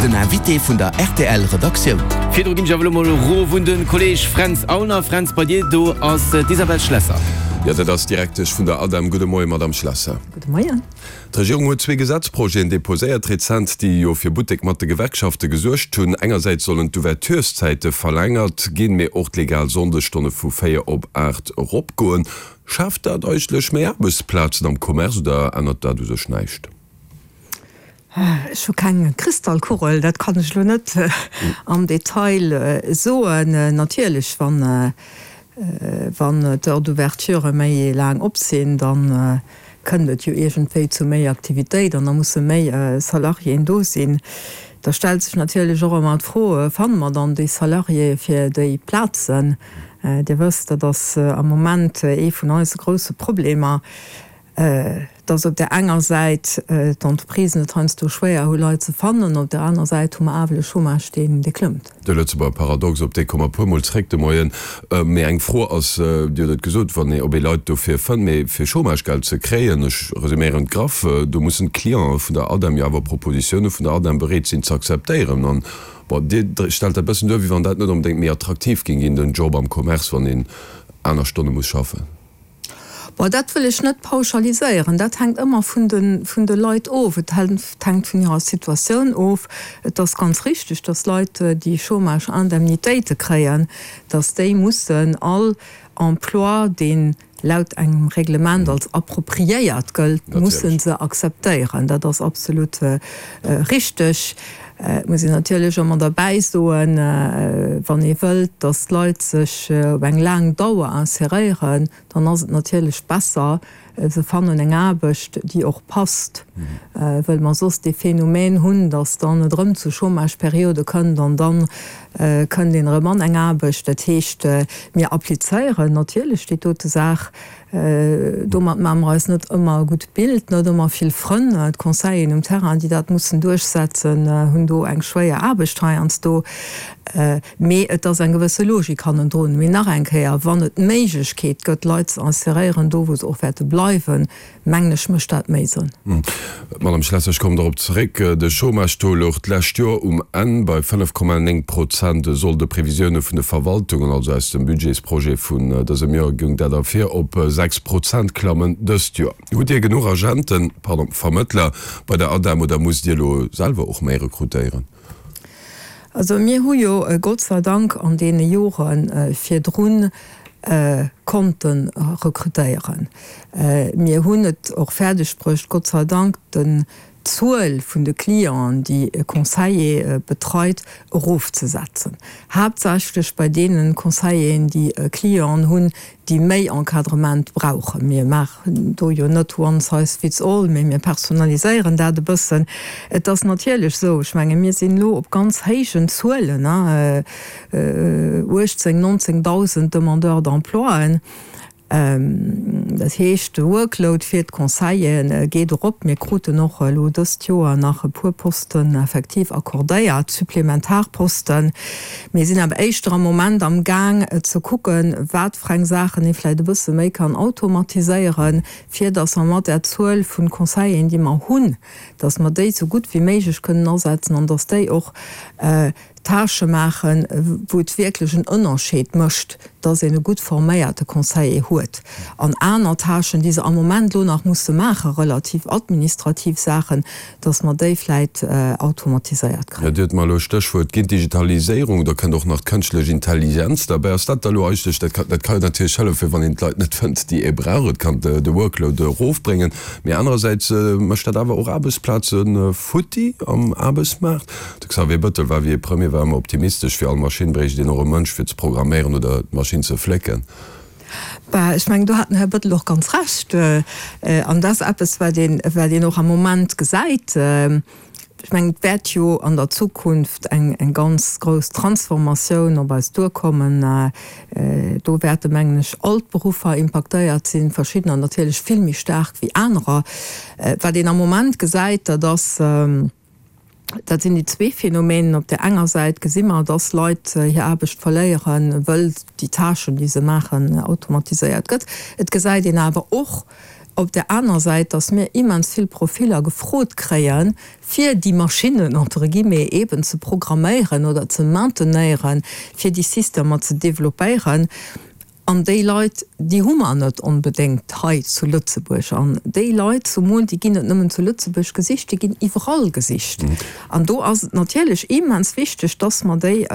Den Invité vun der rtl Redaktioun. Virdru ginn ech awer elo mol erof un de Kolleg Fränz Aulner. Fränz, bei dir do ass d'Isabelle Schlesser. Jo, dat ass d'Direktesch vun der ADEM. Gudde Moien, Madamm Schlesser. Gudde Moien. D'Regierung huet zwee Gesetzprojeten deposéiert rezent, déi jo fir Buttek mat de Gewerkschafte gesuergt hunn. Engersäits sollen d'Ouvertureszäite verlängert ginn, mee och d'legal Sonndesstonne vu 4 op 8 eropgoen. Schaaft dat eigentlech méi Aarbechtsplazen am Commerce oder ännert dat u sech näischt? Ech hu keng Kristallkugel, dat kann ech elo net am Detail soen. Natierlech, wann d'Heures d'ouverture méi laang op sinn, da kënnt et jo iergendwéi zu méi Aktivitéit an da musse méi Salariéen do sinn. Da stellt sech natierlech och ëmmer d'Fro, Fanne mer dann déi Salariéë fir déi Plazen? Dir wësst, dat ass am Moment ee vun eise grousse Problemer, dass op där enger Säit d'Entreprisen et heiansdo schwéier hu Leit ze fannen, op där aner Säit hu mer awer e Chômage, deen dee klëmmt. De Lëtzebuerger Paradox, op dee komme mer e puermol zréck de Moien. Mee eng Fro ass, Dir hutt et gesot, wann ee, ob ee Leit dofir fënnt, mee fir Chômagegeld ze kréien, ech resuméieren et graff, do mussen d'Clienten vun der ADEM jo awer Propositioune vun der ADEM bereet sinn ze akzeptéieren. An, bon, Dir stellt dat e bëssen duer, wéi wann dat net onbedéngt méi attraktiv géing ginn, den Job am Commerce, wann een aner Stonne muss schaffen. Bon, dat wëll ech net pauschaliséieren. Dat hänkt ëmmer vun de, vun de Leit of. Et hänkt vun hirer Situatioun of. Et ass ganz richtig, dass Leit, déi Chômage-Indemnitéite kréien, dass déi mussen all Emploi, deen laut engem Reglement als appropriéiert gëllt, musse se akzeptéieren. Dat ass absolut richtig. Et muss een natierlech ëmmer derbäi soen, wann ee wëllt, dass d'Leit sech op eng laang Dauer inseréieren, dann ass et natierlech besser, se fannen eng Aarbecht, déi och passt, wëll mer soss dee Phänomen hunn, dass dann et erëm zu Chômageperiode kënnt an da kënnt een erëm an eng Aarbecht. Dat heescht, mir applizéieren natierlech déi dote Saach. Domat maache mer eis net ëmmer e gutt Bild, net ëmmer vill Frënn. D'Conseilleren um Terrain, déi dat mussen duerchsetzen, hunn do eng schwéier Aarbecht heiansdo. Mee et ass eng gewësse Logik hannendrun. Mee nach eng Kéier, Wann et d'Méiglechkeet gëtt, Leit ze inseréieren, do wou se och wäerte bleiwen, mengen ech, mécht dat méi Sënn. Madame Schlesser, ech kommen dorop zeréck. De Chômage-Taux louch d'lescht Joer um Enn bei 5,9 Prozent. E soll de Previsioune vun de Verwaltungen, also aus dem Budgetsprojet vun dësem Joer, goung dat ervir, op 6 Prozent klammen dëst Joer. Hutt Dir genuch Agenten, pardon, Vermëttler bei der ADEM oder musst Dir elo selwer och méi rekrutéieren? Also mir hu jo Gott sei Dank an deene Jore virdrun konnte rekrutéieren. Mir hunn et och fäerdeg bruecht, Gott sei Dank, den d'Zuel vun de Clienten, déi e Conseiller betreit, erofzesetzen. Haaptsächlech bei deene Conseilleren, déi Clienten hunn, déi méi Encadrement brauchen. Mir maachen do jo net one size fits all, mee mir personaliséieren dat e bëssen. Et ass natierlech esou, ech menge mir sinn elo op ganz héijen Zuelen, 18, 19.000 Demandeurs d'emploien. Dat heescht, de Workload fir d'Conseillere geet erop. Mir kruten och elo dëst Joer nach e puer Posten effektiv accordéiert, supplementar Posten. Mir sinn awer éischter am Moment am Gaang ze kucken, wat fir eng Saachen ee vläicht e bësse méi kann automatiséieren, fir datt mer mat där Zuel vu Conseilleren, déi mer hunn, datt mer déi esou gutt wéi méiglech kënnen asetzen an datt déi och Tâchë maachen, wou et wierklech en Ënnerscheed mécht, dass een e gutt forméierte Conseiller huet, an aner Tâchen, déi se am Moment elo nach musse maachen, relativ administrativ Saachen, dass mer déi vläit automatiséiert kréien. Dir hutt mer elo e Stéchwuert ginn, d'Digitaliséierung, do kënnt och nach d'kënschtlech Intelligenz derbäi. Ass dat da elo eigentlech, dat kann, dat ka jo natierlech hëllefen, wann een d'Leit net fënnt, déi ee brauch, et kann de Workload erofbréngen, mee anerersäits mécht dat awer och Aarbechtsplaze futti am Aarbechtsmaart. De Xavier Bëttel war, wéi e Premier war, ëmmer optimistesch, Fir all Maschinn bréicht een och e Mënsch fir ze programméieren oder d'Maschinn ze flécken. Bah, ech mengen, do hat den Här Bëttel och ganz Recht. An dat ass eppes, wat een, wat een och am Moment gesäit. Ech mengen, et wäert jo an der Zukunft eng, eng ganz grouss Transformatioun op eis duerkommen. Do wäerte, mengen ech, all d'Beruffer impaktéiert sinn, verschiddener natierlech vill méi staark wéi anerer. Wat een am Moment gesäit, dat ass, Dat sinn déi zwee Phänomenen. Op där enger Säit gesi mer, dass Leit hir Aarbecht verléieren, wëll déi Tâchen, déi se maachen, automatiséiert gëtt. Et gesäit een awer och. Op där aner Säit, dass mir immens vill Profiller gefrot kréien, fir déi Maschinnen, entre guillemets, eeben ze programméieren oder ze maintenéieren, fir déi Systemer ze développéieren. An déi Leit, déi hu mer net onbedéngt hei zu Lëtzebuerg. An déi Leit zumol, déi ginn net nëmmen zu Lëtzebuerg gesicht, déi ginn iwwerall gesicht. An do ass et natierlech immens wichteg, dass mer déi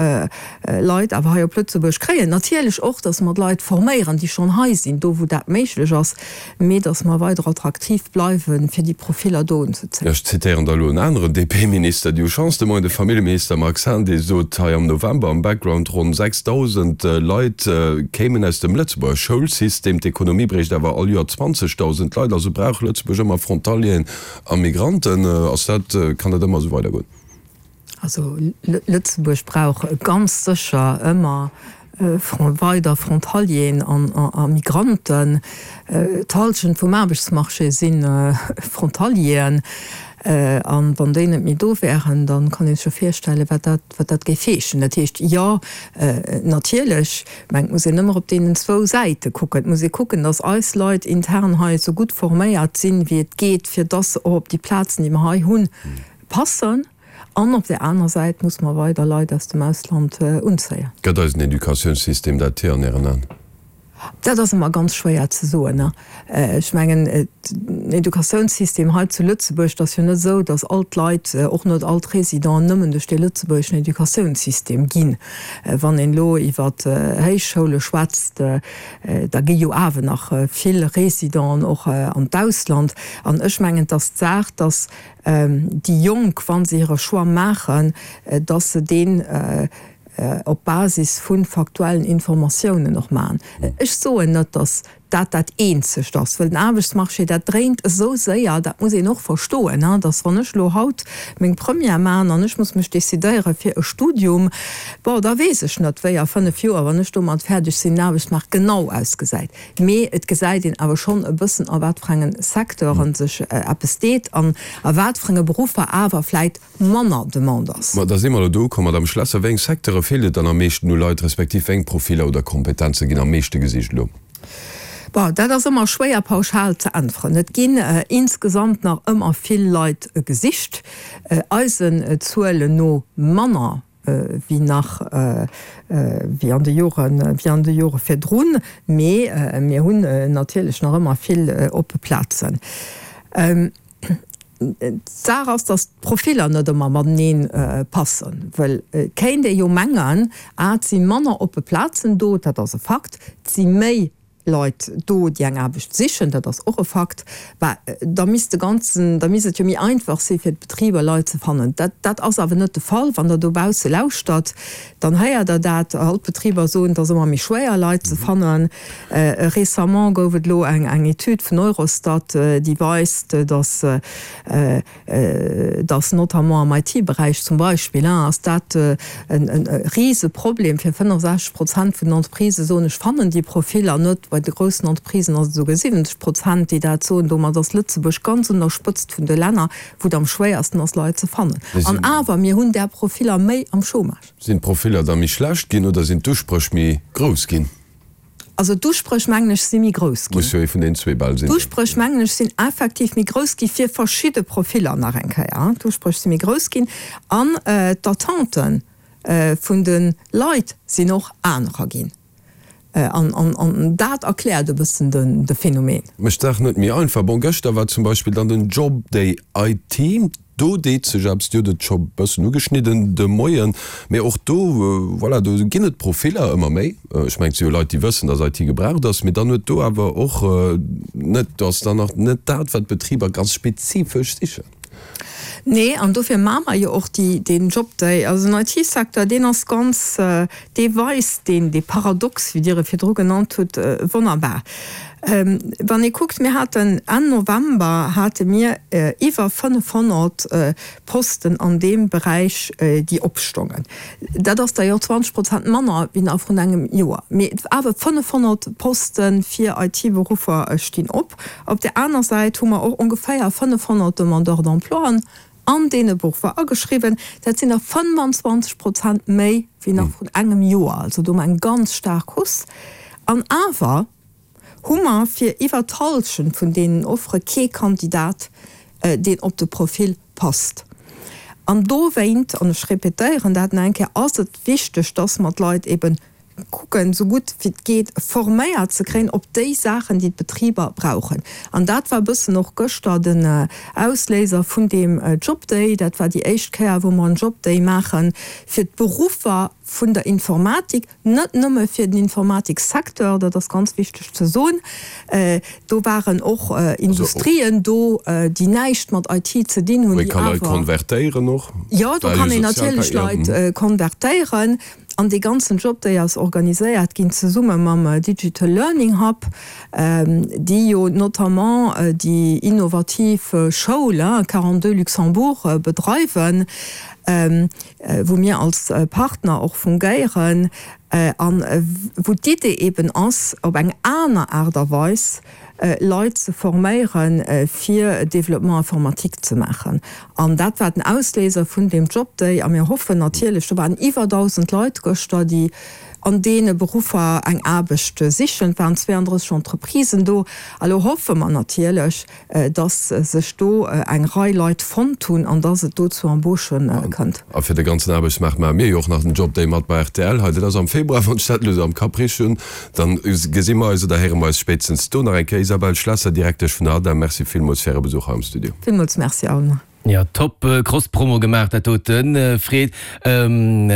Leit awer hei op Lëtzebuerg kréien. Natierlech och, dass mer d'Leit forméieren, déi schonn hei sinn, do wou dat méiglech ass. mee datt mer weider attraktiv bleiwen, fir déi Profiller do unzezéien. Ech zitéieren da elo en aneren DP-Minister, déi hu Chance de Moien, de Familljeminister Marc Hahn, dee sot hei am November am Background, ronn 6.000 Leit kéimen aus dem Lëtzebuerger Schoulsystem, d'Ekonomie bréicht awer all Joer 20.000 Leit, also brauch Lëtzebuerg ëmmer Frontalieren a Migranten. Ass dat, kann dat ëmmer esou weidergoen? Also Lëtzebuerg brauch ganz sécher ëmmer weider Frontalieren a Migranten. D'Hallschent vum Aarbechtsmarché si Frontalieren. A wann déi net méi do wären, da kann ee sech jo virstellen, wat dat, wat dat géif heeschen. Dat heescht, jo, natierlech, mä et muss een ëmmer op deenen zwou Säite kucken. Et muss ee kucken, datt eis Leit intern hei esou gutt forméiert sinn, wéi et geet, fir datt se och op déi Plazen, déi mer hei hunn, Passen. An op där aner Säit muss mer weider Leit aus dem Ausland unzéien. Gëtt eisen Educatiounssystem dat hier an Ären Aen? Dat ass ëmmer ganz schwéier ze soen. Ech mengen, den Educatiounssystem hei zu Lëtzebuerg, et ass jo net esou, datt all d'Leit, och net all d'Résidenten, nëmmen duerch dee lëtzebuergeschen Educatiounssystem ginn. Wann een elo iwwer Héichschoule schwätzt, da gi jo awer nach vill Résidenten och an d'Ausland. An ech mengen, et ass d'Saach, datt déi Jonk, wa se hire Choix maachen, dass se deen op Basis vu faktuellen Informatiounen och maachen. Ech soen net, dass dat dat Eenzegt ass, well den Aarbechtsmarché, dat dréint esou séier, dat muss een och verstoen, dass wann ech elo haut meng Première maachen an ech muss mech decidéiere fir e Studium, bon, da weess ech net, wéi a 5 Joer, wann ech domat fäerdeg sinn, den Aarbechtsmaart genau ausgesäit. Mee et gesäit een awer schonn e bëssen, a wat fir engen Secteuren sech eppes deet an a wat fir enge Beruffer awer vläit manner Demande ass. Ma da si mer elo do ukomm, Madame Schlesser. Wéi eng Secteure feelt et dann am meeschten u Leit, respektiv wéi eng Profiller oder Kompetenze ginn am meeschte gesicht elo? Bon, dat ass ëmmer schwéier pauschal ze äntweren. Et ginn insgesamt nach ëmmer vill Leit gesicht, eisen Zuelen no manner wéi nach wéi an de Joren, wéi an de Jore virdrun, mee mir hunn natierlech nach ëmmer vill oppe Plazen. D'Saach ass, datt d'Profiller net ëmmer matenee passen, well et kéint ee jo mengen, ah et si manner oppe Plazen do, dat ass e Fakt, et si méi Leit do, déi eng Aarbecht sichen, dat ass och e Fakt, bah, da misst de ganzen, da misst et jo méi einfach si fir d'Betriber Leit ze fannen. Dat, dat ass awer net de Fall. Wann Der dobausse lauschtert, dann héiert Der dat, all d'Betriber soen, et ass ëmmer méi schwéier Leit ze fannen. Récemment gouf et elo eng, eng Etüd vun Eurostat, déi weist, datt, dass notamment am IT-Beräich zum Beispill, ass dat e Riseproblem fir 65 Prozent vun den Entreprisë soen, ech fannen déi Profiller net. Bei de groussen Entreprisen ass et esouguer 70 Prozent, déi dat soen. Domat ass Lëtzebuerg ganz un der Spëtzt vun de Länner, wou et am schwéiersten ass, Leit ze fannen. An awer, mir hunn där Profiller méi am Chômage. Sinn d'Profiller da méi schlecht ginn oder sinn d'Uspréch méi grouss ginn? Also d'Uspréch, mengen ech, si méi grouss ginn. Muss jo ee vun deenen zwee bal sinn. D'Uspréch, mengen ech, sinn effektiv méi grouss gi fir verschidde Profiller nach eng Kéier. D'Uspréch si méi grouss ginn an d'Attente vun de Leit sinn och anerer ginn. An dat erkläert e bëssen de Phänomen. Mécht d'Saach net méi einfach. Bon, gëschter war zum Beispill dann den Job Day IT. Do deet sech eppes, Dir hutt et scho bëssen ugeschnidden de Moien, mee och do, voilà, do ginn et Profiller ëmmer méi. Ech mengen, et si jo Leit, déi wëssen, dass IT gebraucht ass, mee dann huet do awer och net, do ass dann nach net dat, wat d'Betriber ganz spezifesch sichen. Nee, an dofir maache mer jo och déi, deen Jobday. Also den IT-Secteur, deen ass ganz, dee weist deen, dee Paradox, wéi Dir e virdru genannt hutt, wonnerbar. Wann ee kuckt, mir haten Enn November hate mir iwwer 500 Posten an deem Beräich, déi opstongen. Dat ass der jo 20 Prozent manner wéi nach vrun engem Joer. Mee awer 500 Poste fir IT-Beruffer stinn op. Op där aner Säit hu mer och ongeféier 500 Demandeurs d'emploien an deene Beruffer ageschriwwen. Dat sinn der 25 Prozent méi wéi nach vrun engem Joer. Also do hu mer eng ganz staark Hausse. An awer. hu mer fir iwwer d'Hallschent vun deenen Offere kee Kandidat, deen op de Profil passt. An dowéint, an ech repetéieren dat nach eng Kéier, ass et wichteg, dass mer d'Leit eben kucken, esou gutt wéi et geet, forméiert ze kréien op déi Saachen, déi d'Betriber brauchen. An dat war e bëssen och gëschter den Ausléiser vun deem Jobday. Dat war déi éischt Kéier, wou mer en Jobday maache fir d'Beruffer vun der Informatik. Net nëmme fir den Informatiksecteur, dat ass ganz wichteg ze soen. Do waren och Industrien do, déi näischt mat IT ze dinn hunn, déi awer. Wou ee ka Leit konvertéieren och. Jo, do kann een natierlech Leit konvertéieren. An dee ganzen Jobday ass organiséiert ginn zesumme mam Digital Learning Hub, déi jo notamment déi innovativ Schoul 42 Luxembourg bedreiwen. wou mir als Partner och fungéieren an wou d'Idee eben ass, op eng aner Aart a Weis Leit ze forméieren, fir Développement informatique ze maachen. An dat war den Ausléiser vun deem Jobday. A mir hoffen natierlech, do waren iwwer 1.000 Leit gëschter, déi an deene Beruffer eng Aarbecht sichen. Et waren 32 Entreprisen do. A lo hoffe mer natierlech, dass sech do eng Rei Leit fonnt hunn an dass et do zu Embauchë kënnt. A fir de ganzen Aarbechtsmaart maache mir jo och nach den Job Day mat bei rtl hei. Dat ass am Februar, wann ech dat elo esou am Kapp richteg hunn. Dann gesi mer eis oder héiere mer eis spéitstens do nach eng Kéier. Isabelle Schlesser, Direktesch vun der ADEM, Merci villmools fir Äre Besuch hei am Studio. Villmools Merci, Alma. Jo, top Cross-Promo gemaach dat doten, Fred. An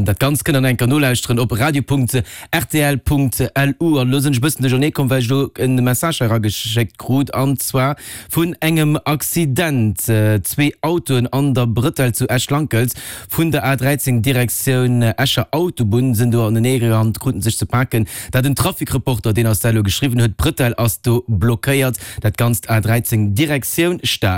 dat Ganzt kënnt der nach eng Kéier nolauschteren op radio.rtl.lu. An elo sinn ech e bëssen duerchernee komm, well ech elo en Message hei erageschéckt krut, an zwar vun engem Accident. Zwee Autoen an der Brëtell zu Esch-Lankelz vun der A13 Direktioun Escher Autobunn sinn do aneneegerannt, kruten sech ze paken. Dat en Trafic-Reporter, deen eis dat elo geschriwwen huet. D'Brëtell ass do blockéiert. Dat Ganzt A13 Direktioun Stad.